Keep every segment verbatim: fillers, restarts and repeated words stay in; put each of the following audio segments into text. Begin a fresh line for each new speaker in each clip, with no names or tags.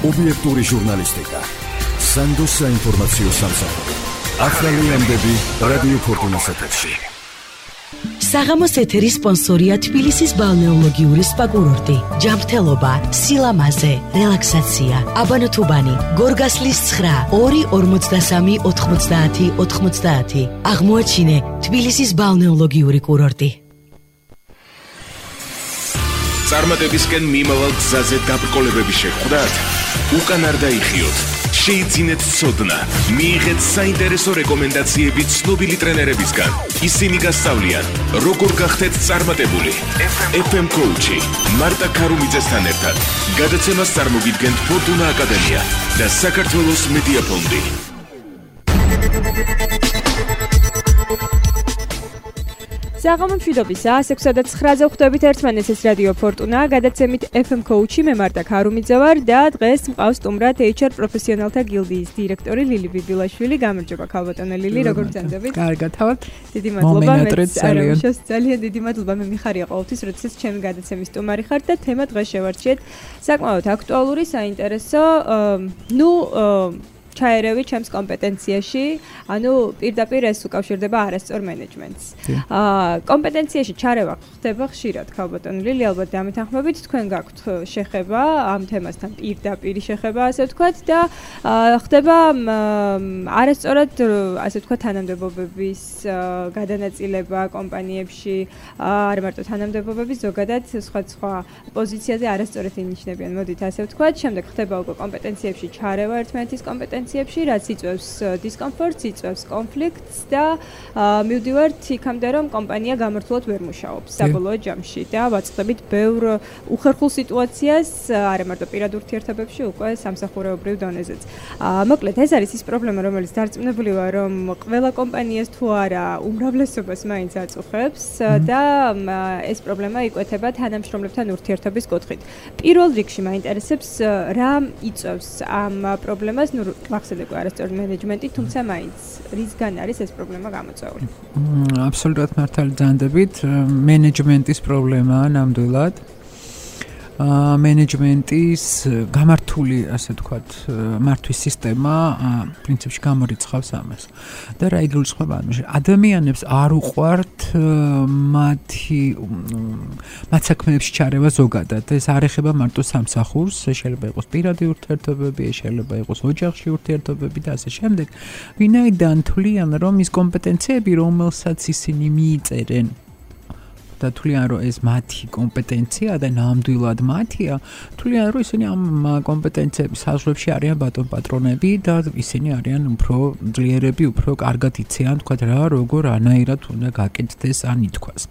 ობიექტური ჟურნალისტიკა, სანდოს საინფორმაციო სამსახური, ახალი ამბები რადიო ფორტუნას ეთერში.
საღამოს ეთერის სპონსორია თბილისის ბალნეოლოგიური სპა კურორტი, ჯანმრთელობა, სილამაზე, რელაქსაცია, აბანოთუბანი, გორგასლის ცხრა, ორი ორმოცდასამი ოთხმოცდაათი ოთხმოცდაათი. აღმოაჩინე თბილისის ბალნეოლოგიური კურორტი.
წარმატებისკენ მიმავალ გზაზე დაბრკოლებები შეხვდათ? უკან არ დაიხიოთ. შეიძინეთ ცოდნა, მიიღეთ საინტერესო რეკომენდაციები ცნობილი ტრენერებისგან. ისინი გასწავლიან, როგორ გახდეთ წარმატებული. ეფ ემ Coach-ი, მარტა ქარუმიძესთან ერთად. გადაცემას წარმოგიდგენთ ფორტუნა აკადემია და საქართველოს მედია ფონდი.
საღამო მშვიდობის საათს ექვსი და ცხრაზე ხვდებით ერთმანეთს, ეს რადიო ფორტუნა, გადაცემით ეფ ემ Coach-ი, მე მარტა ქარუმიძე ვარ და დღეს მყავს სტუმრად ეიჩ არ პროფესიონალთა გილდიის დირექტორი ლილი ბიბილაშვილი. გამარჯობა ქალბატონო ლილი, როგორ გრძანდებით?
კარგად, თავად.
დიდი მადლობა, მეც ძალიან დიდი მადლობა, მე მიხარია ყოველთვის, როდესაც ჩემი გადაცემის სტუმარი ხარ და თემა დღეს შევარჩიეთ საკმაოდ აქტუალური, საინტერესო, ნუ ჩაერევი ჩემს კომპეტენციაში, ანუ პირდაპირ ეს უკავშირდება არასწორ მენეჯმენტს. აა კომპეტენციაში ჩარევა ხდება ხშირად, ქალბატონო ლილი, ალბათ დამეთანხმებით, თქვენ გაქვთ შეხება ამ თემასთან, პირდაპირ შეხება, ასე ვთქვათ და ხდება არასწორად, ასე ვთქვათ, თანამდებობების გადანაწილება კომპანიებში, არ მარტო თანამდებობების, ზოგადად სხვა სხვა პოზიციაზე არასწორად ინიშნებიან, მოდით ასე ვთქვათ, შემდეგ ხდება უკვე კომპეტენციებში ჩარევა ერთმანეთის კომპეტენციებში, რაც იწვევს დისკომფორტს, იწვევს კონფლიქტს და მივდივართ იქამდე, რომ კომპანია გამართულად ვერ მუშაობს საბოლოო ჯამში და ვაწყდებით ბევრ უხერხულ სიტუაციას, არა მარტო პირად ურთიერთობებში, უკვე სამსახურეობრივ დონეზეც. მოკლედ, ეს არის ის პრობლემა, რომელიც დარწმუნებული ვარ, რომ ყველა კომპანიას თუ არა უმრავლესობას მაინც აწუხებს და ეს პრობლემა იკვეთება თანამშრომლებთან ურთიერთობის კუთხით. პირველ რიგში მაინტერესებს რა იწვევს ამ პრობლემას, ნუ მახსოვდება არასწორ მენეჯმენტი, თუმცა მაინც რისგან არის ეს პრობლემა გამოწვეული?
აბსოლუტურად მართალი ძანდებით, მენეჯმენტის პრობლემაა ნამდვილად. აა მენეჯმენტის გამართული, ასე ვთქვათ, მართვის სისტემა პრინციპში გამორიცხავს ამას. და რა იგულისხმება ამაში? ადამიანებს არ უყვართ მათი მათ საქმეებში ჩარევა ზოგადად. ეს არ ეხება მარტო სამსახურს, შეიძლება იყოს პირადი ურთიერთობები, შეიძლება იყოს ოჯახში ურთიერთობები და ასე შემდეგ. ვინაიდან თვლიან, რომ ის კომპეტენციები, რომელსაც ისინი მიიწერენ და თვლიან, რომ ეს მათი კომპეტენცია და ნამდვილად მათია, თვლიან, რომ ისინი ამ კომპეტენციების საზღვრებში არიან ბატონ პატრონები და ისინი არიან უფრო ძლიერები, უფრო კარგად იციან, თქვა რა, როგორ ანაირად უნდა გაკეთდეს ან ითქვას.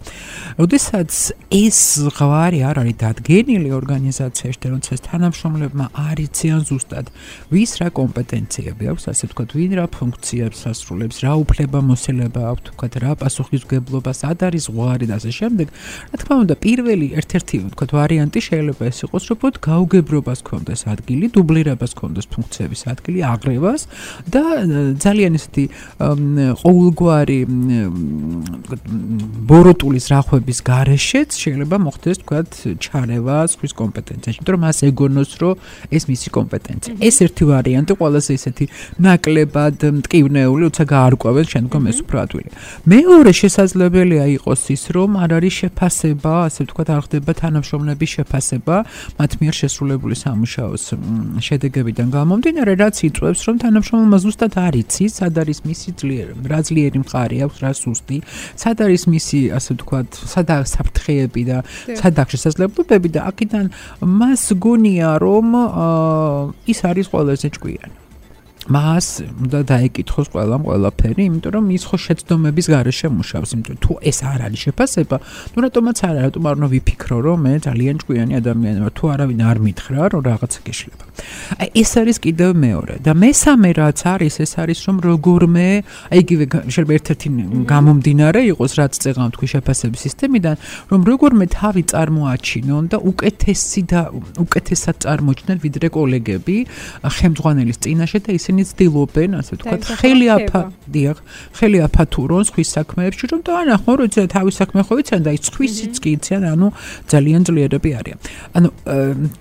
როდესაც ეს ზღვარი არ არის დადგენილი ორგანიზაციაში და როდესაც თანამშრომლებმა არ იციან ზუსტად, ვის რა კომპეტენციები აქვს, ასე ვთქვათ, ვინ რა ფუნქციებს ასრულებს, რა უფლებამოსილება აქვს, თქვა რა პასუხისმგებლობა, სად არის ზღვარი და ასე შემდეგ. რა თქმა უნდა, პირველი ერთ-ერთი ვთქვათ ვარიანტი შეიძლება ეს იყოს, რომ უფრო გაუგებრობას ქონდეს ადგილი, დუბლირებას ქონდეს ფუნქციების ადგილი, აღრევას და ძალიან ისეთი ყოველგვარი ბოროტულის რახვების გარეშეც შეიძლება მოხდეს, ვთქვათ, ჩარევა სხვის კომპეტენციაში, იმიტომ რომ მას ეგონოს, რომ ეს მისი კომპეტენცია. ეს ერთი ვარიანტი, ყველაზე ისეთი ნაკლებად მტკივნეული, როცა გაარკვევენ შემდგომ ეს უფრო ადვილია. მეორე შესაძლებელია იყოს ის, რომ არ არის შეფასება, ასე ვთქვათ, არ ხდება თანამშრომლების შეფასება მათ მიერ შესრულებული სამუშაოს შედეგებიდან გამომდინარე, რაც იწვევს, რომ თანამშრომელმა ზუსტად არ იცის, სად არის მისი ძლიერი, რა ძლიერი მხარე აქვს, რა სუსტი, სად არის მისი, ასე ვთქვათ, სად არის საფრთხეები და სად აქვს შესაძლებლობები და აქედან მას გონია, რომ ის არის ყველაზე ჭკვიანი. მას უნდა დაეკითხოს ყველამ ყველაფერი, იმიტომ რომ ის ხო შეცდომების გარეშე მუშაობს, იმიტომ თუ ეს არ არის შეფასება, ნუ რატომაც არა, რატომ არ უნდა ვიფიქრო, რომ მე ძალიან ჭკვიანი ადამიანი ვარ, თუ არავინ არ მითხრა, რომ რაღაცა გეშლება. აი ეს არის კიდევ მეორე და მესამე რაც არის, ეს არის რომ როგორმე, აი იგივე შეიძლება ერთ-ერთი გამომდინარე იყოს, რაც წეღავ თქვი შეფასების სისტემიდან, რომ როგორმე თავი წარმოაჩინონ და უკეთესი და უკეთესად წარმოჩნდნენ ვიდრე კოლეგები ხელმძღვანელის წინაშე და ისინი ცდილობენ, ასე ვთქვათ, ხელი აფა, დიახ, ხელი აფათურონ სხვის საქმეებში, რომ და ანახო, როცა თავის საქმე ხო იციან და ის სხვისიც კი იციან, ანუ ძალიან ძლიერები არიან. ანუ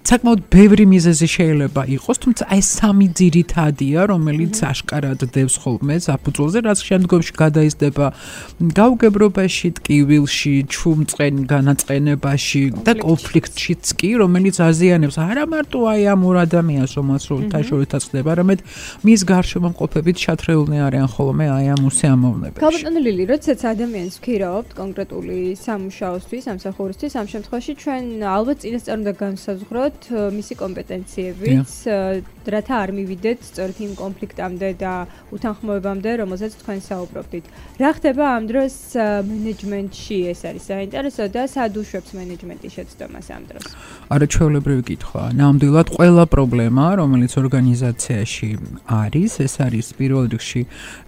საკმაოდ ბევრი მიზეზი შეიძლება შეიძლება იყოს, თუმცა ეს სამი ძირითადია, რომელიც აშკარად დევს ხოლმე საფუძველზე, რაც შემდგომში გადაიზრდება გაუგებრობაში, ტკივილში, ჩუმწყენ განაწყენებაში და კონფლიქტშიც კი, რომელიც აზიანებს არა მარტო აი ამ ორ ადამიანს, რომელსაც როლთაშორისად ხდება, არამედ მის გარშემო მყოფებით ჩათრეულნი არიან ხოლმე აი ამ უსიამოვნებაში.
ქალბატონი ლილი, როდესაც ადამიანს ვქირავთ კონკრეტული სამუშაოსთვის, სამსახურისთვის, ამ შემთხვევაში ჩვენ ალბათ წინასწარ უნდა განსაზღვროთ მისი კომპეტენციებიც, რათა არ მივიდეთ სწორედ იმ კონფლიქტამდე და უთანხმოებამდე, რომელზეც თქვენ საუბრობდით. რა ხდება ამ დროს მენეჯმენტში, ეს არის საინტერესო და სად უშვებს მენეჯმენტის შეცდომას ამ დროს?
არა, ჩვეულებრივი კითხვა. ნამდვილად ყველა პრობლემა, რომელიც ორგანიზაციაში არის, ეს არის პირველ რიგში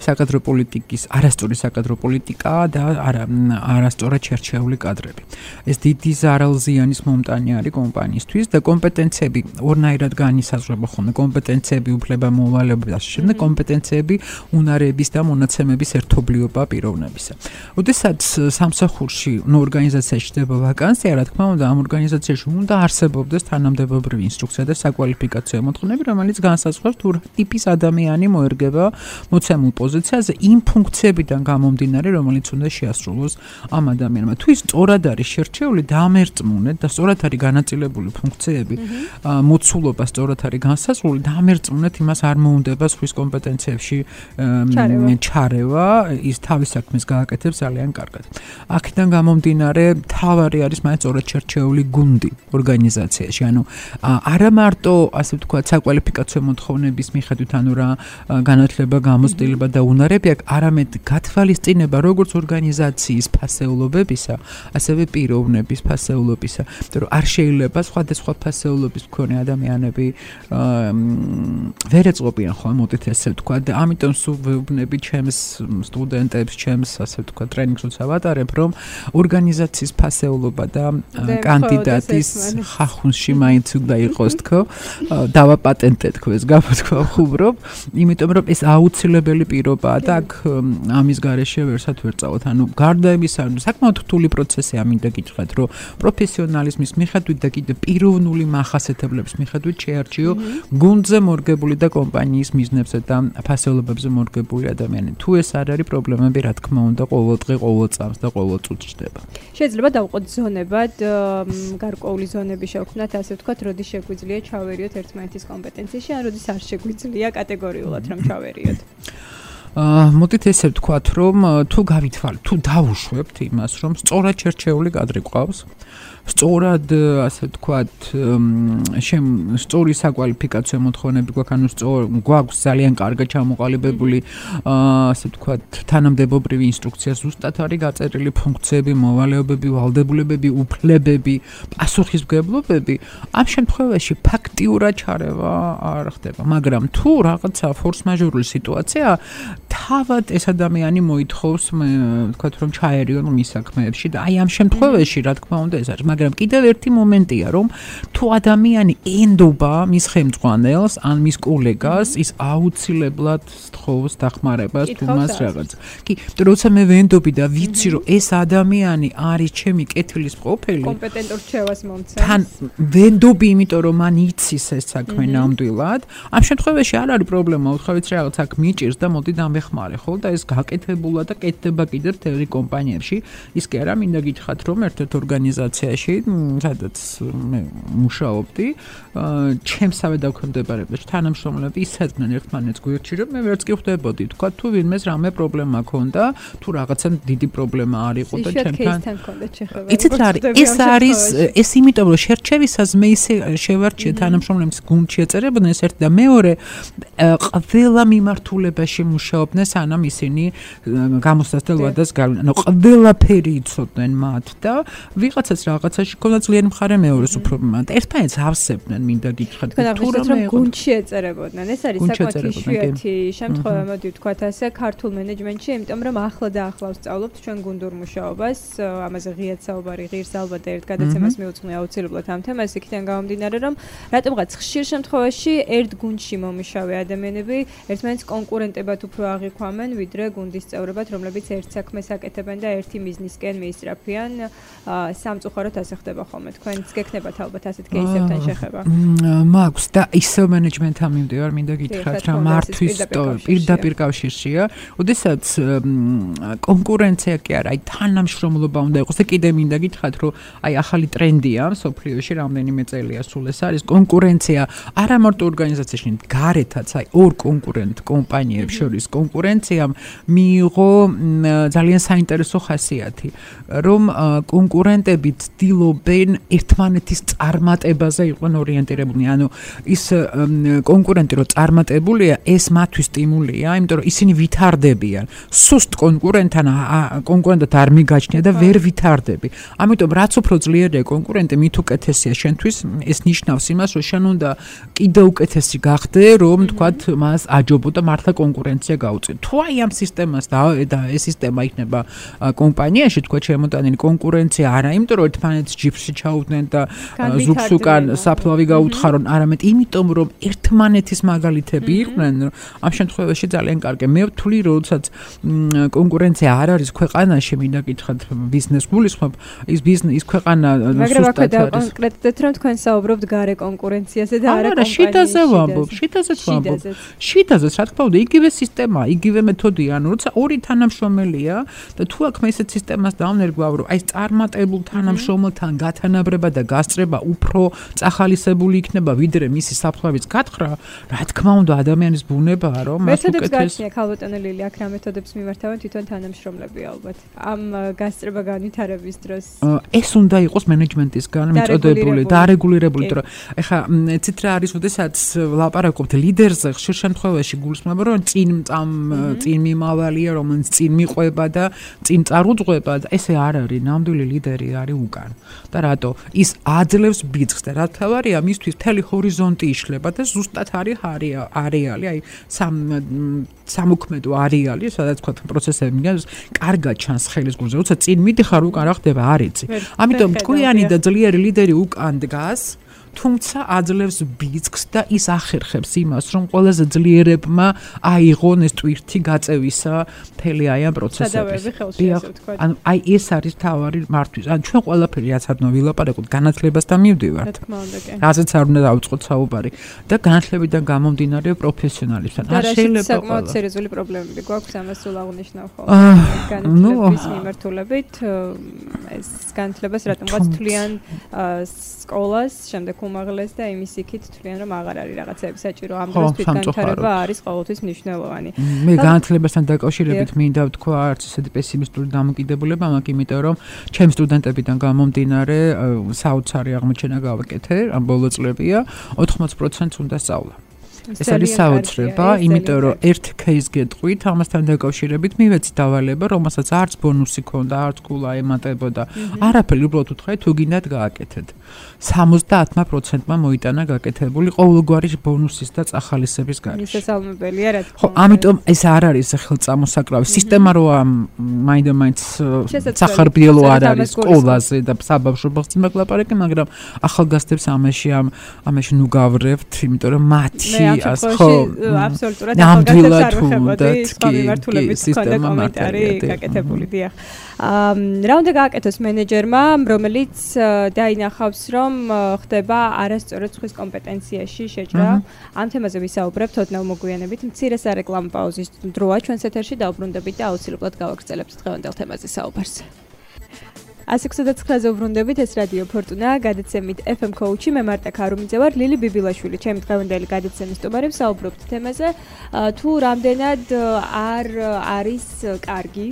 საკადრო პოლიტიკის, არასწორი საკადრო პოლიტიკა და არასწორად შერჩეული კადრები. ეს დიდი ზარალზიანის მომტანი არის კომპანიისთვის და კომპეტენციები ორნაირად განისაზღვრება ხოლმე. კომპეტენციები უფლება-მოვალეობები და შემდეგ კომპეტენციები უნარების და მონაცემების ერთობლიობა პიროვნებისა. როდესაც სამსახურში, ნუ ორგანიზაციაში ხდება ვაკანსია, რა თქმა უნდა, ამ ორგანიზაციაში უნდა არსებობდეს თანამდებობრივი ინსტრუქცია და საკვალიფიკაციო მოთხოვნები, რომელიც განსაზღვრავს თუ რა ტიპის ადამიანი მოერგება მოცემულ პოზიციაზე იმ ფუნქციებიდან გამომდინარე, რომელიც უნდა შეასრულოს ამ ადამიანმა. თუ ის სწორად არის შერჩეული, დამერწმუნეთ და სწორად არის განაწილებული ფუნქციები, მოცულობა სწორად არის განსაზღვრული, დამერწმუნეთ, იმას არ მოუნდება სხვის კომპეტენციებში ჩარევა, ის თავის საქმეს გააკეთებს ძალიან კარგად. აქედან გამომდინარე, თავარი არის მაინც სწორად შერჩეული გუნდი ორგანიზაციაში. ანუ არა მარტო, ასე ვთქვათ, საკვალიფიკაციო მოთხოვნების მიხედვით, ანუ რა განათლება, გამოცდილება და უნარები აქვს, არამედ გათვალისწინება როგორც ორგანიზაციის ფასეულობებისა, ასევე პიროვნების ფასეულობისა. იმიტომ რომ არ შეიძლება სხვადასხვა ფასეულობის მქონე ადამიანები ვერ ეწყობიან ხოლმე, მოდით ესე ვთქვათ, და ამიტომ სულ ვეუბნები ჩემს სტუდენტებს, ჩემს ასე ვთქვათ, ტრენინგს ვატარებ, რომ ორგანიზაციის ფასეულობა და კანდიდატის ხახუნში მაინც უნდა იყოს თქო, დავაპატენტე თქო ეს გამოთქვა ხუბრობ, იმიტომ რომ ეს აუცილებელი პირობაა და აქ ამის გარეშე ვერსად ვერ წავთ. ანუ გარდა იმისა, საკმაოდ რთული პროცესია მინდა გითხრათ, რომ პროფესიონალიზმის მიხედვით და კიდე პიროვნული მახასიათებლების მიხედვით შეარჩიო გუნდზე მორგებული და კომპანიის მიზნებზე და ფასეულობებზე მორგებული ადამიანები. თუ ეს არ არის, პრობლემები რა თქმა უნდა ყოველ დღე, ყოველ წამს და ყოველ წუთს ხდება.
შეიძლება დავყოთ ზონებად, გარკვეული ზონები შევქმნათ, ასე ვთქვათ, როდის შეგვიძლია ჩავერიოთ ერთმანეთის კომპეტენციაში, ან როდის არ შეგვიძლია კატეგორიულად რომ ჩავერიოთ.
მოდით ესე ვთქვათ, რომ თუ გავითვალეთ, თუ დავუშვებთ იმას, რომ სწორად შერჩეული კადრი გვყავს, სწორად, ასე ვთქვათ, შემ სწორი საკვალიფიკაციო მოთხოვნები გვაქვს, ანუ გვაქვს ძალიან კარგად ჩამოყალიბებული, ასე ვთქვათ, თანამდებობრივი ინსტრუქცია, ზუსტად არის გაწერილი ფუნქციები, მოვალეობები, ვალდებულებები, უფლებები, პასუხისმგებლობები. ამ შემთხვევაში ფაქტიურად ჩარევა არ ხდება, მაგრამ თუ რაღაცა ფორს-მაჟორული სიტუაცია, თავად ეს ადამიანი მოითხოვს, ვთქვათ, რომ ჩაერიონ მის საქმეებში და აი ამ შემთხვევაში, რა თქმა უნდა, ეს არის, მაგრამ კიდევ ერთი მომენტია, რომ თუ ადამიანი ენდობა მის ხელმძღვანელს ან მის კოლეგას, ის აუცილებლად სთხოვს დახმარებას თუ მას რაღაც. კი, როცა მე ვენდობი და ვიცი, რომ ეს ადამიანი არის ჩემი კეთილის ყოფილი,
კომპეტენტურ რჩევას მომცემს.
თან ვენდობი, იმიტომ რომ მან იცის ეს საქმე ნამდვილად. ამ შემთხვევაში არ არის პრობლემა, უთხავით რაღაც აქ მიჭირს და მოდი დამეხმარე, ხო? და ეს გაკეთებულა და კეთდება კიდევ თერი კომპანიებში. ის კი არა, მინდა გითხრათ, რომ ერთ-ერთ ორგანიზაციაში სადაც მე მუშაობდი, ჩემსავე დაქვემდებარებაში თანამშრომლები ისეძნენ ერთმანეთს გვერდში, რომ მე ვერც კი ხვდებოდი, თქვა თუ ვინმეს რამე პრობლემა ქონდა, თუ რაღაცა დიდი პრობლემა არ იყო და ჩემთან. იცით რა არის? ეს არის ეს იმიტომ რომ შერჩევისას მე ისე შევარჩიე თანამშრომლებს გუნდში ეწერებოდნენ ეს ერთი და მეორე ყველა მიმართულებაში მუშაობდნენ, სანამ ისინი გამოსასწრებელ ვადას გავიდნენ. ანუ ყველაფერი იცოდნენ მათ და ვიღაცას რაღაცაში ქონდა ძალიან მხარე მეორეს უფრო მათ. ერთმანეთს ავსებდნენ, მინდა გითხრათ,
თუ რომ გუნდში ეწერებოდნენ. ეს არის საკმაოდ იშვიათი შემთხვევა, მოდი ვთქვათ ასე, ქართულ მენეჯმენტში, იმიტომ რომ ახლა და ახლა ვსწავლობთ ჩვენ გუნდურ მუშაობას, ამაზე ღიად საუბარი ღირს ალბათ ერთ გადაცემას მივუძღვნი აუცილებლად ამ თემას, იქიდან გამომდინარე, რომ რატომღაც ხშირ შემთხვევაში ერთ გუნდში მომიშავე ადამიანები ერთმანეთს კონკურენტებად უფრო აღიქვამენ, ვიდრე გუნდის წევრებად, რომლებიც ერთ საქმეს აკეთებენ და ერთი მიზნისკენ მიისწრაფიან. სამწუხაროდ ასე ხდება ხოლმე. თქვენც გექნებათ ალბათ ასეთ кейსებთან შეხება.
მაქვს და ისევ მენეჯმენტთან მიმდევარ, მინდა გითხრათ რა მართვის პირდაპირ კავშირშია. ოდესაც კონკურენცია კი არა, აი თანამშრომლობა უნდა იყოს და კიდე მინდა გითხრათ, რომ აი ახალი ტრენდია სოფლიოში რამდენიმე წელია სულ ეს არის კონკურენცია არა მარტო ორგანიზაციაში, გარეთაც აი ორ კონკურენტ კომპანიებს შორის კონკურენციამ მიიღო ძალიან საინტერესო ხასიათი, რომ კონკურენტები ცდილობენ ერთმანეთის წარმატებაზე იყვნენ ორიენტირებულნი. ანუ ის კონკურენტი რო წარმატებულია, ეს მათთვის სტიმულია, იმიტომ რომ ისინი ვითარდებიან. სუსტ კონკურენტთან კონკურენტად არ მიგაჩნია და ვერ ვითარდები. ამიტომ რაც უფრო ძლიერია კონკურენტი, მით უკეთესია შენთვის. ეს ნიშნავს იმას, რომ შენ უნდა კიდე უკეთესი გახდე, რომ თქვათ მას აჯობო და მართლა კონკურენცია გაუწიო. თუ აი ამ სისტემას და ეს სისტემა იქნება კომპანიაში, თქვათ შემოტანილი კონკურენცია არა, იმიტომ რომ ერთმანეთს ჯიფში ჩაუდნენ და ზუგს უკან საფლავი გაუთხარონ, არამედ იმიტომ რომ ერთმანეთის მაგალითები იყვნენ, ამ შემთხვევაში ძალიან კარგია. მე ვთვლი, როდესაც კონკურენცია არ არის ქვეყანაში, მინდა გითხრათ ბიზნეს გულისხმობ, ის ბიზნეს ის ქვეყანა
სუსტად არის. კონკრეტულად რომ თქვენ საუბრობთ გარე კონკურენციაზე და არა
კომპანიაში. შიდაზე ვამბობ, შიდაზეც ვამბობ. შიდაზეც რა თქმა უნდა, იგივე სისტემა, იგივე მეთოდია, ანუ როცა ორი თანამშრომელია და თუ აქ მე ესეთ სისტემას დავნერგავ, რომ აი წარმატებულ თანამშრომელთან გათანაბრება და გასწრება უფრო წახალისებული იქნება, ვიდრე მისი საფლავის გათხრა, რა თქმა უნდა, ადამიანის ბუნებაა, რომ მას უკეთეს.
მეთოდებს გაჩნია ქალბატონი ლილი, აქ რა მეთოდებს მიმართავენ თვითონ თანამშრომლები ალბათ. ამ გასწრება განვითარების დროს.
ეს უნდა იყოს მენეჯმენტისგან მიწოდებული, დარეგულირებული, რომ ეხა ცით რა არის, ოდესაც ლაპარაკობთ ლიდერზე, ხშირ შემთხვევაში გულისხმობა, რომ წინ წამ წინ მიმავალია, რომელიც წინ მიყვება და წინ წარუძღვება და ესე არ არის, ნამდვილი ლიდერი არის უკან. და რატო? ის აძლევს ბიძგს და რა თავარია, მისთვის მთელი ჰორიზონტი იშლება და ზუსტად არის არეალი, აი სამ სამოქმედო არეალი, სადაც თქვა პროცესები მიგავს, კარგად ჩანს ხელის გულზე, როცა წინ მიდიხარ, უკან რა ხდება, არ იცი. ამიტომ ჭკვიანი და ძლიერი ლიდერი უკან დგას, თუმცა აძლევს ბიძგს და ის ახერხებს იმას, რომ ყველაზე ძლიერებმა აიღონ ეს ტვირთი გაწევისა მთელი აი ამ პროცესების. ანუ აი ეს არის თავარი მართვის. ანუ ჩვენ ყველაფერი რაც არ უნდა ვილაპარაკოთ, განათლებასთან მივდივართ. რაზეც არ უნდა დავიწყოთ საუბარი და განათლებიდან გამომდინარე პროფესიონალებთან.
არ შეიძლება საკმაოდ სერიოზული პრობლემები გვაქვს ამას სულ აღნიშნავ ხოლმე. განათლების მიმართულებით ეს განათლებას რატომღაც თვლიან სკოლას, შემდეგ უმაღლეს და იმის იქით თვლიან რომ აღარ არის რაღაცები საჭირო. ამ დროს თვითგანვითარება არის ყოველთვის მნიშვნელოვანი.
მე განათლებასთან დაკავშირებით მინდა ვთქვა არც ისეთი პესიმისტური დამოკიდებულება მაქვს, იმიტომ რომ ჩემს სტუდენტებიდან გამომდინარე საოცარი აღმოჩენა გავაკეთე, ამ ბოლო წლებია, ოთხმოც პროცენტს უნდა სწავლა. ეს არის საოცრება, იმიტომ რომ ერთ кейს გეტყვით, ამასთან დაკავშირებით მივეცი დავალება, რომელსაც არც ბონუსი ქონდა, არც კულა ემატებოდა. არაფერი, უბრალოდ უთხრა თუ გინდათ გააკეთეთ. სამოცდაათმა პროცენტმა მოიტანა გაკეთებული ყოველგვარი ბონუსის და წახალისების გარეშე.
შესაძლებელია რა თქმა
უნდა. ხო, ამიტომ ეს არ არის ხელწამოსაკრავი სისტემა, რომ მაინდა-მაინც სახარბიელო არ არის სკოლაზე და საბავშვო ბაღში მაგლაპარაკე, მაგრამ ახალგაზრდებს ამაში ამ ამაში ნუ გავრევთ, იმიტომ რომ მათი
ამ შემთხვევაში აბსოლუტურად ახალგაზრდებს არ ვეხებოდი, სხვა მიმართულებით ჰქონდა კომენტარი გაკეთებული, დიახ. რა უნდა გააკეთოს მენეჯერმა, რომელიც დაინახავს, რომ ხდება არასწორად სხვის კომპეტენციაში შეჭრა. ამ თემაზე ვისაუბრებთ ოდნავ მოგვიანებით. მცირე სარეკლამო პაუზის დროა ჩვენს ეთერში დაუბრუნდებით და აუცილებლად გავაგრძელებთ დღევანდელ თემაზე საუბარს. ასი ოცდაოთხ ცხრაზე უბრუნდებით, ეს რადიო ფორტუნა, გადაცემით ეფ ემ კოუჩი, მე მარტა ქარუმიძე ვარ, ლილი ბიბილაშვილი, ჩემი დღევანდელი გადაცემის სტუმარი, ვსაუბრობთ თემაზე, თუ რამდენად არ არის კარგი,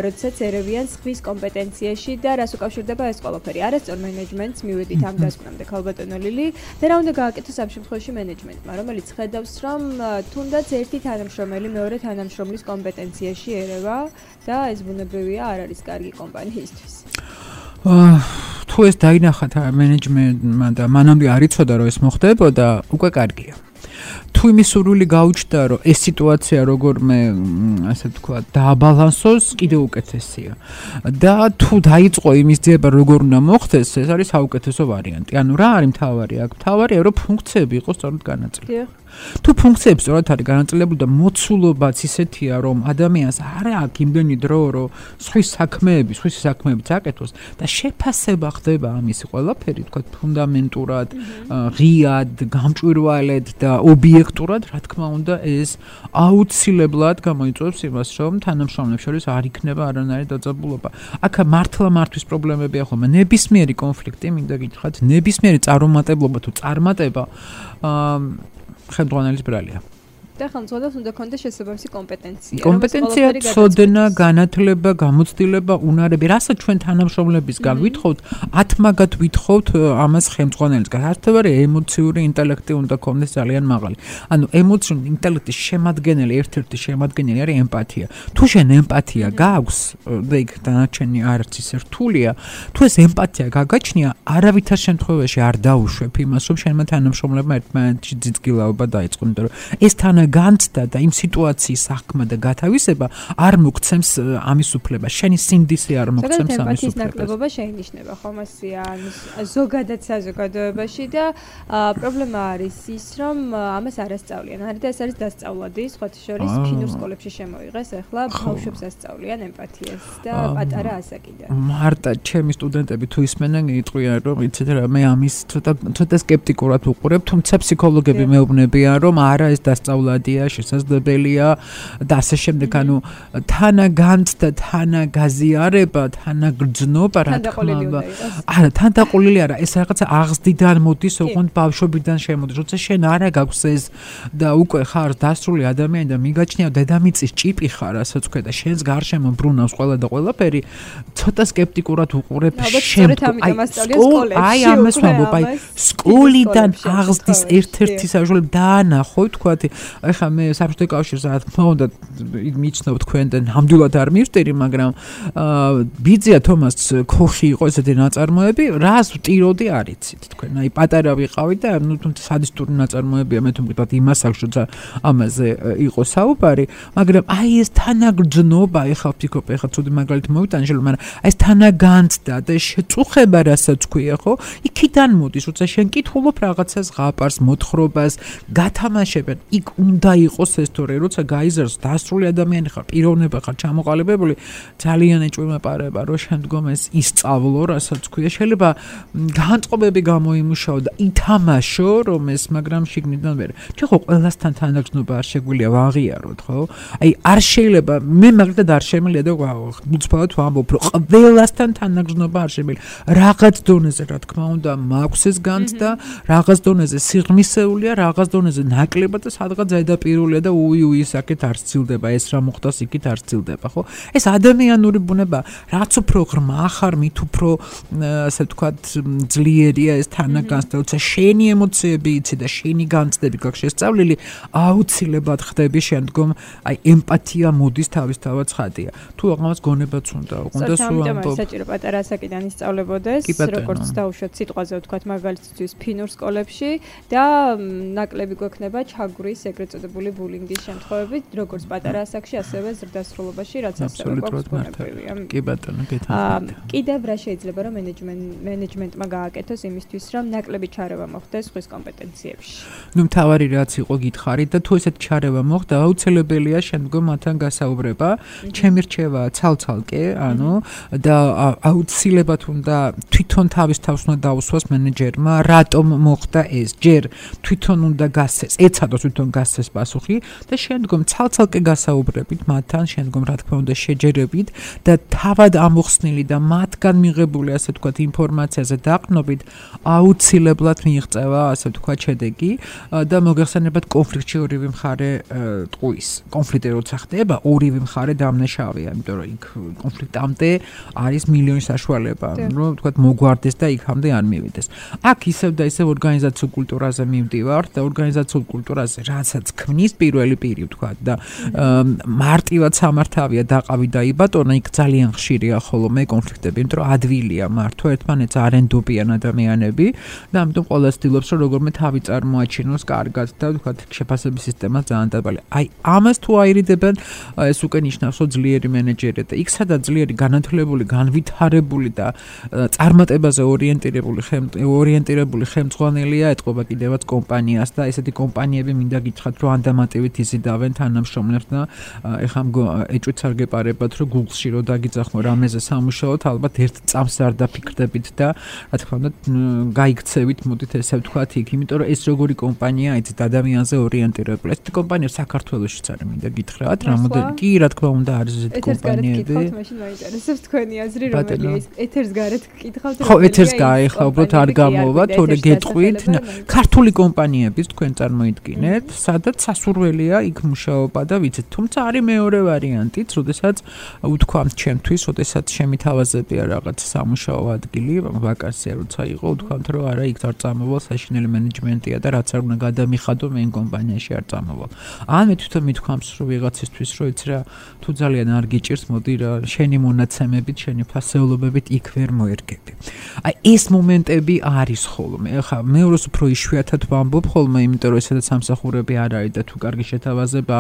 როდესაც ერევიან სხვის კომპეტენციაში და რას უკავშირდება ეს ყველაფერი. არასწორ მენეჯმენტს მივედით ამ დასკვნამდე, ქალბატონო ლილი, და რა უნდა გააკეთოს ამ შემთხვევაში მენეჯმენტმა, რომელიც ხედავს, რომ თუნდაც ერთი თანამშრომელი მეორე თანამშრომლის კომპეტენციაში ერევა და ეს ბუნებრივია არ არის კარგი კომპანიისთვის.
თუ ეს დაინახათ მენეჯმენტმა და მანამდე არ იცოდა რომ ეს მოხდებოდა, უკვე კარგია. თუ თუ იმის სურვილი გაუჩნდა, რომ ეს სიტუაცია როგორმე, ასე ვთქვათ, დააბალანსოს, კიდევ უკეთესია. და თუ დაიწყო იმის ძიება, როგორ უნდა მოხდეს, ეს არის საუკეთესო ვარიანტი. ანუ რა არის მთავარი აქ? მთავარია, რომ ფუნქციები იყოს სწორად განაწილებული. თუ ფუნქციები სწორად არის განაწილებული და მოცულობაც ისეთია, რომ ადამიანს არ აქვს იმდენი დრო, რომ სხვის საქმეები, სხვის საქმეებიც აკეთოს და შეფასება ხდება ამისი ყველაფერი, თქვა ფუნდამენტურად, ღიად, გამჭვირვალედ და ობიექტურად, რა თქმა უნდა, ეს აუცილებლად გამოიწვევს იმას, რომ თანამშრომლებს შორის არ იქნება არანაირი დაძაბულობა. აქ მართლა მართვის პრობლემებია ხოლმე. ნებისმიერი კონფლიქტი, მინდა გითხრათ, ნებისმიერი წარუმატებლობა თუ წარმატება აა ხელმძღვანელის ბრალია.
და ხელმძღვანელს უნდა ქონდეს შესაბამისი კომპეტენცია.
კომპეტენცია, ცოდნა, განათლება, გამოცდილება, უნარები, რასაც ჩვენ თანამშრომლებისგან ვითხოვთ, ათმაგად ვითხოვთ ამას ხელმძღვანელისგან. არათვარი ემოციური ინტელექტი უნდა ქონდეს ძალიან მაღალი. ანუ ემოციური ინტელექტის შემადგენელი, ერთ-ერთი შემადგენელი არის ემპათია. თუ შენ ემპათია გაქვს და იქ დანარჩენი არც ისე რთულია, თუ ეს ემპათია გაგაჩნია, არავითარ შემთხვევაში არ დაუშვებ იმას, რომ შენმა თანამშრომლებმა ერთმანეთში ძიძგილაობა დაიწყონ, იმიტომ რომ ეს თან განცდა და იმ სიტუაციის აღქმა და გათავისება არ მოგცემს ამის უფლება. შენი სინდისი არ მოგცემს ამის უფლებას.
ნაკლებობა შეინიშნება ხომასია ზოგადად საზოგადოებაში და პრობლემა არის ის, რომ ამას არ ასწავლიან. არის და ეს არის დასწავლადი, სხვათა შორის ფინურ სკოლებში შემოიღეს, ახლა ბავშვებს ასწავლიან ემპათიას და პატარა ასაკიდან.
მარტა ჩემი სტუდენტები თუ ისმენენ, იტყვიან, რომ იცით რა, მე ამის ცოტა ცოტა სკეპტიკურად უყურებ, თუმცა ფსიქოლოგები მეუბნებიან, რომ არა ეს დასწავლადი შესაძლებელია და ასე შემდეგ, ანუ თანაგანცდა, თანაგაზიარება, თანაგრძნობა, რა თქმა უნდა. არა, თანდაყოლილი არა, ეს რაღაცა აღზრდიდან მოდის, ოღონდ ბავშვობიდან შემოდის. როცა შენ არა გაქვს ეს და უკვე ხარ დასრული ადამიანი და მიგაჩნია დედამიწის ჭიპი ხარ, ასაც ვქვა და შენს გარშემო ბრუნავს ყველა და ყველაფერი, ცოტა სკეპტიკურად უყურებ შენ. აი ამას ვამბობ, აი სკოლიდან აღზრდის ერთ-ერთი საშუალება დაანახო, თქვათ ეხლა მე საბჭოთა კავშირს რა თქმა უნდა მიცნობ თქვენ და ნამდვილად არ მივსტერი, მაგრამ ბიძია თომას ქოხი იყო ესეთი ნაწარმოები, რას ვტიროდი არ იცით თქვენ. აი პატარა ვიყავი და ნუ თუმცა სადისტური ნაწარმოებია, მე თუ მგიტყვათ იმას აქვს, როცა ამაზე იყო საუბარი, მაგრამ აი ეს თანაგრძნობა, ეხლა ვფიქრობ, ეხლა ცუდი მაგალითი მოვიტანე შეიძლება, მაგრამ აი ეს თანაგანცდა და შეწუხება, რასაც ქვია, ხო? იქიდან მოდის, როცა შენ კითხულობ რაღაცას, ღაპარს, მოთხრობას, გათამაშებენ, იქ უნდა იყოს ეს თორე, როცა გაიზარდოს დასრული ადამიანი ხარ, პიროვნება ხარ, ჩამოყალიბებული, ძალიან ეჭვმეპარება, რომ შემდგომ ეს ისწავლო, რასაც ქვია, შეიძლება განწყობები გამოიმუშაო და ითამაშო, რომ ეს, მაგრამ შიგნიდან ვერ. ჩვენ ხო ყველასთან თანაგრძნობა არ შეგვიძლია ვაღიაროთ, ხო? აი არ შეიძლება, მე მაგალითად არ შემიძლია და უცბად ვამბობ, რომ ყველასთან თანაგრძნობა არ შემიძლია. რაღაც დონეზე, რა თქმა უნდა, მაქვს ეს განცდა, რაღაც დონეზე სიღრმისეულია, რაღაც დონეზე ნაკლებად და სადღაც ზედაპირულია და უი უი საკეთ არ სცილდება, ეს რა მოხდა იქით არ სცილდება, ხო? ეს ადამიანური ბუნება, რაც უფრო ღრმა ხარ, მით უფრო ასე ვთქვათ ძლიერია ეს თანაგანცდა, როცა შენი ემოციები იცი და შენი განცდები გაქვს შესწავლილი, აუცილებლად ხდები შემდგომ, აი ემპათია მოდის თავისთავად ცხადია. თუ აღმას გონებაც უნდა, უნდა სულ ამბობ.
საჭირო პატარა ასაკიდან ისწავლებოდეს, როგორც დაუშვათ სიტყვაზე ვთქვათ მაგალითისთვის ფინურ სკოლებში და ნაკლები გვექნება ჩაგვრის ეგრეთ წოდებული ბულინგის შემთხვევებით, როგორც პატარა ასაკში, ასევე ზრდასრულობაში, რაც ასევე გვაქვს ბუნებრივია.
კი ბატონო, გეთანხმებით.
კიდევ რა შეიძლება რომ მენეჯმენტმა გააკეთოს იმისთვის, რომ ნაკლები ჩარევა მოხდეს ხვის კომპეტენციებში?
ნუ მთავარი რაც იყო გითხარით და თუ ესეთ ჩარევა მოხდა, აუცილებელია შემდგომ მათთან გასაუბრება. ჩემი რჩევა ცალ-ცალკე, ანუ და აუცილებლად უნდა თვითონ თავის თავს უნდა დაუსვას მენეჯერმა, რატომ მოხდა ეს. ჯერ თვითონ უნდა გასცეს, ეცადოს თვითონ გასცეს პასუხი და შემდგომ ცალ-ცალკე გასაუბრებით მათთან, შემდგომ რა თქმა უნდა შეჯერებით და თავად ამოხსნილი და მათგან მიღებული ასე ვთქვათ ინფორმაციაზე დაყრდნობით აუცილებლად მიიღწევა ასე ვთქვათ შედეგი და მოგეხსენებათ კონფლიქტში ორივე მხარე ტყუის. კონფლიქტი როცა ხდება, ორივე მხარე დამნაშავეა, იმიტომ რომ იქ კონფლიქტამდე არის მილიონი საშუალება, რომ ვთქვათ მოგვარდეს და იქამდე არ მივიდეს. აქ ისევ და ისევ ორგანიზაციულ კულტურაზე მივდივართ და ორგანიზაციულ კულტურაზე, რასაც ქმნის პირველი პირი ვთქვათ და მარტივად სამართავია დაყავი და იბატონა იქ ძალიან ხშირია ხოლმე კონფლიქტები, იმიტომ რომ ადვილია მართვა ერთმანეთს არ ენდობიან ადამიანები და ამიტომ ყველა ცდილობს რომ როგორმე თავი წარმოაჩინოს კარგად და ვთქვათ შეფასების სისტემა ძალიან დაბალი. აი ამას თუ აირიდებენ ეს უკვე ნიშნავს რომ ძლიერი მენეჯერი და იქ სადაც ძლიერი განათლებული, განვითარებული და წარმატებაზე ორიენტირებული ორიენტირებული ხელმძღვანელია ეთყობა კიდევაც კომპანიას და ესეთი კომპანიები მინდა გითხრათ რომ ანდამატივით იზიდავენ თანამშრომლებს და ეხლა ეჭვიც არ გეპარებათ რომ Google-ში რო დაგიძახმო რამეზე სამუშაოთ ალბათ ერთ წამს არ დაფიქრდებით და რა თქმა უნდა გაიქცევით მოდით ესე ვთქვათ იქ იმიტომ რომ ეს როგორი კომპანია იცით ადამიანზე ორიენტირებული ეს კომპანია საქართველოშიც არის მინდა გითხრათ რამოდენი კი რა თქმა უნდა არის ესეთი კომპანიები
ეთერს მაშინ მაინტერესებს თქვენი აზრი რომელია ის ეთერს გარეთ გკითხავთ
ხო ეთერს გაიხლა უბრალოდ არ გამოვა თორე გეტყვით ქართული კომპანიების თქვენ წარმოიდგინეთ სადაც სასურველია იქ მუშაობა და ვიცით თუმცა არის მეორე ვარიანტიც როდესაც უთქვამთ ჩემთვის როდესაც შემითავაზებია რაღაც სამუშაო ადგილი ვაკანსია როცა იყო უთქვამთ რომ არა იქ არ წამოვალ საშინელი მენეჯმენტია და რაც არ უნდა გადამიხადო მე კომპანიაში არ წამოვალ ან მე თვითონ მithქვამს რომ ვიღაცისთვის რომ იცი რა თუ ძალიან არ გიჭირს მოდი რა შენი მონაცემებით შენი ფასეულობებით იქ ვერ მოერგები აი ეს მომენტები არის ხოლმე ახლა მეორეს უფრო იშვიათად ვამბობ ხოლმე იმიტომ რომ ესადაც სამსახურები არ არის და თუ კარგი შეთავაზება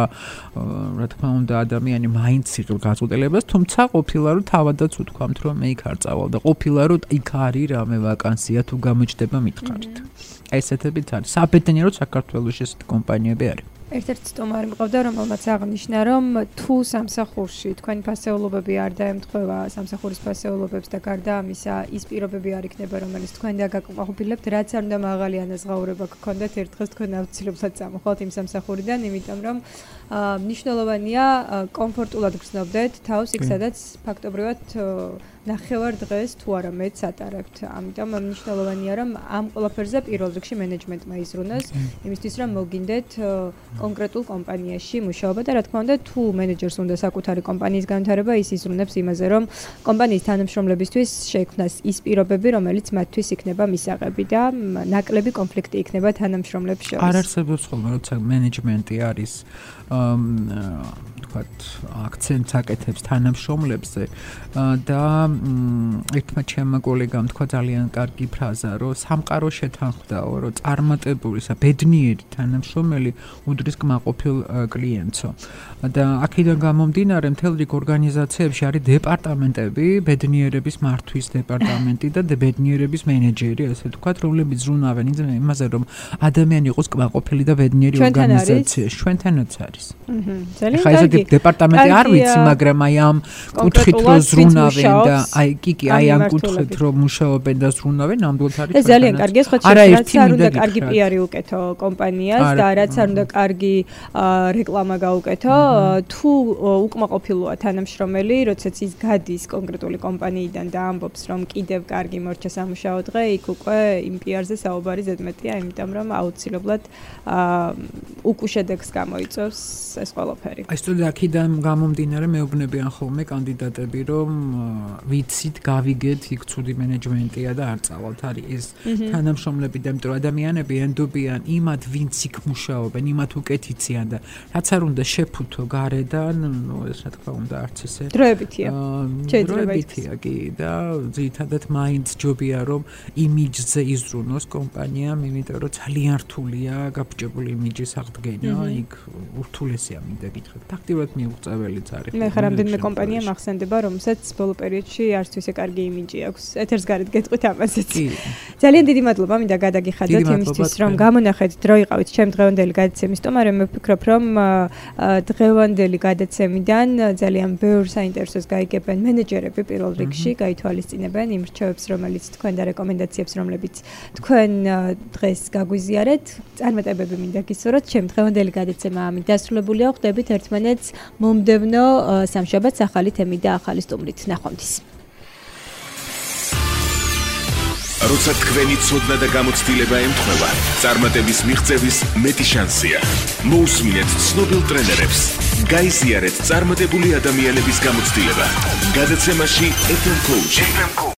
რა თქმა უნდა ადამიანი მაინც იღებს გაწყვეტილებას თუმცა ყოფილა რომ თავადაც უთქვამთ რომ მე იქ არ წავალ და ყოფილა რომ იქ არის რამე ვაკანსია თუ გამოჩნდება მითხარით ესეთებიც არის საბედნიეროდ საქართველოს ესეთი კომპანიები არის
ერთ-ერთი სტუმარი მყავდა რომელმაც აღნიშნა რომ თუ სამსახურში თქვენი ფასეულობები არ დაემთხვევა სამსახურის ფასეულობებს და გარდა ამისა ის პირობები არ იქნება რომელიც თქვენ დაგაკმაყოფილებთ რაც არ უნდა მაღალი ანაზღაურება გქონდეთ ერთ დღეს თქვენ აუცილებლად წამოხვალთ იმ სამსახურიდან იმიტომ რომ მნიშვნელოვანია კომფორტულად გრძნობდეთ თავს იქ სადაც ფაქტობრივად ნახევარ დღეს თუ არა მეც ატარებთ. ამიტომ მნიშვნელოვანია რომ ამ ყველაფერზე პირველ რიგში მენეჯმენტმა იზრუნოს, იმისთვის რომ მოგინდეთ კონკრეტულ კომპანიაში მუშაობა და რა თქმა უნდა თუ მენეჯერს უნდა საკუთარი კომპანიის განვითარება, ის იზრუნებს იმაზე რომ კომპანიის თანამშრომლებისთვის შეიქმნას ის პირობები, რომელიც მათთვის იქნება მისაღები და ნაკლები კონფლიქტი იქნება თანამშრომლებს შორის.
არ არსებობს ხოლმე როცა მენეჯმენტი არის თქვათ აქცენტს აკეთებს თანამშრომლებზე და ერთმა ჩემმა კოლეგამ თქვა ძალიან კარგი ფრაზა რომ სამყარო შეთანხმდაო რომ წარმატებული ბედნიერი თანამშრომელი უდრის კმაყოფილ კლიენტსო და აქედან გამომდინარე მთელ რიგ ორგანიზაციებში არის დეპარტამენტები ბედნიერების მართვის დეპარტამენტი და ბედნიერების მენეჯერი ასე თქვათ რომლებიც ზრუნავენ იმაზე რომ ადამიანი იყოს კმაყოფილი და ბედნიერი ორგანიზაციაში ჩვენთანაც არის
ძალიან
ხა ეს დეპარტამენტი არ ვიცი მაგრამ აი ამ კუთხით რომ ზრუნავენ და აი კი კი აი ამ კუთხით რომ მუშაობენ და ზრუნავენ ნამდვილად არის
ეს ძალიან კარგია სხვა რაც არ უნდა კარგი პიარი უკეთო კომპანიას და რაც არ უნდა კარგი რეკლამა გაუკეთო თუ უკმაყოფილოა თანამშრომელი როდესაც ის გადის კონკრეტული კომპანიიდან და ამბობს რომ კიდევ კარგი მორჩა სამუშაო დღე იქ უკვე იმ პიარზე საუბარი ზედმეტია იმიტომ რომ აუცილებლად უკუშედეგს გამოიწვევს ეს ყველაფერი
აი სწორედ აქედან გამომდინარე მეუბნებიან ხოლმე კანდიდატები რომ ვიცით გავიგეთ იქ ცუდი მენეჯმენტია და არ წავალთ არის ეს თანამშრომლები და იმიტომ ადამიანები ენდობიან იმათ ვინც იქ მუშაობენ იმათ უკეთიციან და რაც არ უნდა შეფუთო გარედან ნუ ეს რა თქმა უნდა არც ესე
დროებითია
დროებითია კი და ძირითადად მაინც ჯობია რომ იმიჯზე იზრუნოს კომპანიამ იმიტომ რომ ძალიან რთულია გაბჭებული იმიჯის აღდგენა იქ ურთულესია მინდა გითხრათ ფაქტიურად მიუღწეველიც არის
მე ხარ რამდენიმე კომპანია მახსენდება რომელსაც ბოლო პერიოდში არც თუ ისე კარგი იმიჯი აქვს ეთერს გარეთ გეტყვით ამასაც ძალიან დიდი მადლობა მინდა გადაგიხადოთ იმისთვის რომ გამონახეთ დრო იყავით ჩემ დღევანდელი გადაცემის სტუმარი მე ვფიქრობ რომ დღევანდელი გადაცემიდან ძალიან ბევრ საინტერესოს გაიგებენ მენეჯერები პირველ რიგში გაითვალისწინებენ იმ რჩევებს რომელიც თქვენ და რეკომენდაციებს რომლებიც თქვენ დღეს გაგვიზიარეთ წარმატებები მინდა გისურვოთ ჩემ დღევანდელი გადაცემა ამით დასრულებულია ხვდებით ერთმანეთს მომდევნო სამშაბათს ახალი თემით და ახალი სტუმრით ნახვამდის
როცა თქვენი ცოდნა და გამოცდილება ემთხვევა, წარმატების მიღწევის მეტი შანსია. მოусმინეთ ცნობილ ტრენერებს. გაიზიარეთ წარმატებული ადამიანების გამოცდილება. გადაცემაში ეფ ემ Coach.